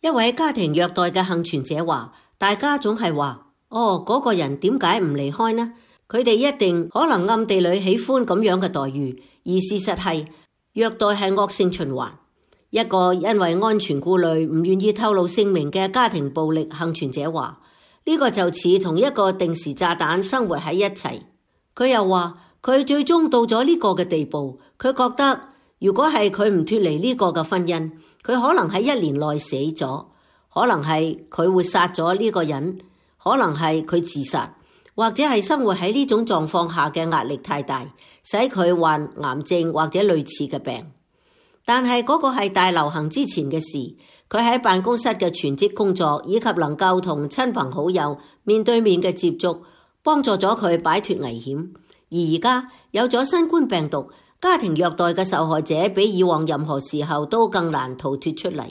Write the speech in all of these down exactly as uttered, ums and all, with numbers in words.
一位家庭虐待嘅幸存者話，大家總係話，哦，嗰個人點解唔離開呢？佢哋一定可能暗地裏喜歡咁樣嘅待遇，而事實係虐待係惡性循環。一個因為安全顧慮唔願意透露姓名嘅家庭暴力幸存者話，呢個就似同一個定時炸彈生活喺一齊。佢又話佢最終到咗呢個嘅地步，佢覺得如果係佢唔脫離呢個嘅婚姻，佢可能喺一年內死咗，可能係佢會殺咗呢個人，可能係佢自殺，或者係生活喺呢種狀況下嘅壓力太大，使佢患癌症或者類似嘅病。但係嗰個係大流行之前嘅事，佢喺辦公室嘅全職工作以及能夠同親朋好友面對面嘅接觸，幫助咗佢擺脫危險。而而家有咗新冠病毒，家庭虐待嘅受害者比以往任何時候都更難逃脫出嚟。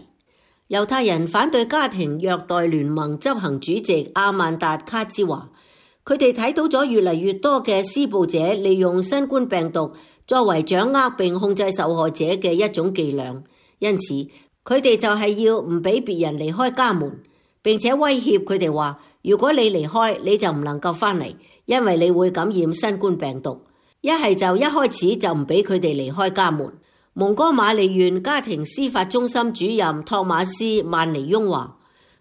猶太人反對家庭虐待聯盟執行主席阿曼達卡茲話，佢哋睇到咗越嚟越多嘅施暴者利用新冠病毒作為掌握並控制受害者嘅一種伎倆，因此佢哋就係要唔俾別人離開家門，並且威脅佢哋話，如果你離開，你就唔能夠翻嚟，因為你會感染新冠病毒。一係就一開始就唔俾佢哋離開家門。蒙哥馬利縣家庭司法中心主任托馬斯曼尼翁話，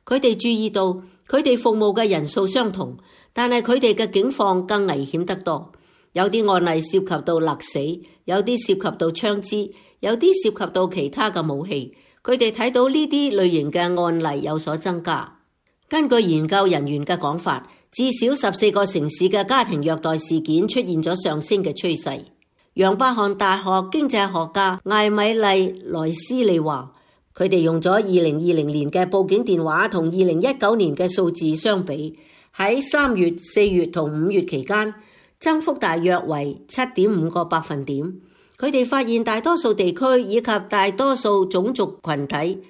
佢哋注意到佢哋服務嘅人數相同，但係佢哋嘅境況更危險得多。有啲案例涉及到勒死，有啲涉及到槍支，有啲涉及到其他嘅武器。佢哋睇到呢啲類型嘅案例有所增加。根據研究人員嘅講法，至少十四個城市嘅家庭虐待事件出現咗上升嘅趨勢。楊伯翰大學經濟學家艾米麗萊斯利話，佢哋用咗二零二零年嘅報警電話同二零一九年嘅數字相比，喺三月、四月同五月期間，增幅大約為七點五個百分點。佢哋發現大多數地區以及大多數種族群體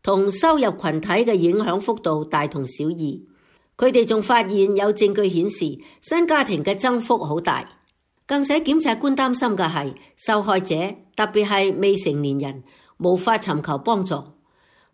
同收入群體嘅影響幅度大同小異。佢哋仲發現有證據顯示新家庭嘅增幅好大。更使檢察官擔心嘅係受害者，特別係未成年人，無法尋求幫助。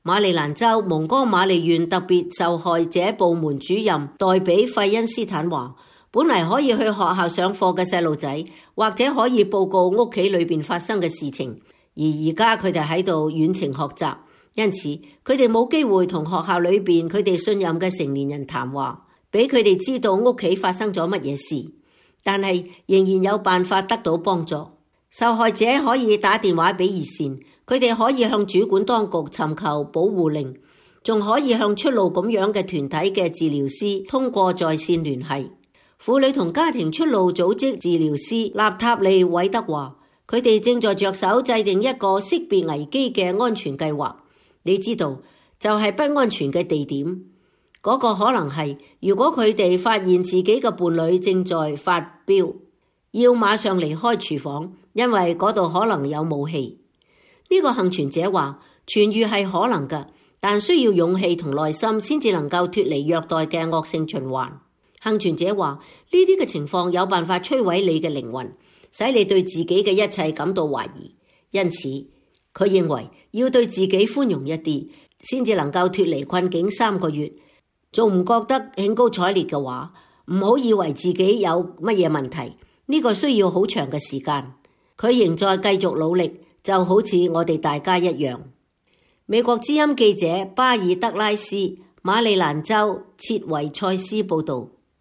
馬里蘭州蒙哥馬利縣特別受害者部門主任代比費恩斯坦話，本嚟可以去學校上課嘅細路仔，或者可以報告屋企裏邊發生嘅事情，而而家佢哋喺度遠程學習，因此佢哋冇機會同學校裏邊佢哋信任嘅成年人談話，俾佢哋知道屋企發生咗乜嘢事。但係仍然有辦法得到幫助。受害者可以打電話俾熱線，佢哋可以向主管當局尋求保護令，仲可以向出路咁樣嘅團體嘅治療師通過在線聯繫。婦女同家庭出路組織治療師納塔利韋德話，佢哋正在着手制定一個識別危機嘅安全計劃。你知道，就係不安全嘅地點。嗰個可能係，如果佢哋發現自己嘅伴侶正在發飆，要馬上離開廚房，因為嗰度可能有武器。呢個幸存者話，痊癒係可能嘅，但需要勇氣同耐心先至能夠脫離虐待嘅惡性循環。幸存者話，呢啲嘅情況有辦法摧毀你嘅靈魂，使你對自己嘅一切感到懷疑。因此，佢認為要對自己寬容一啲，先至能夠脫離困境三個月。仲唔覺得興高采烈嘅話，唔好以為自己有乜嘢問題，呢個需要好長嘅時間。佢仍在繼續努力，就好似我哋大家一樣。美國之音記者巴爾德拉斯，馬里蘭州切維塞斯報道。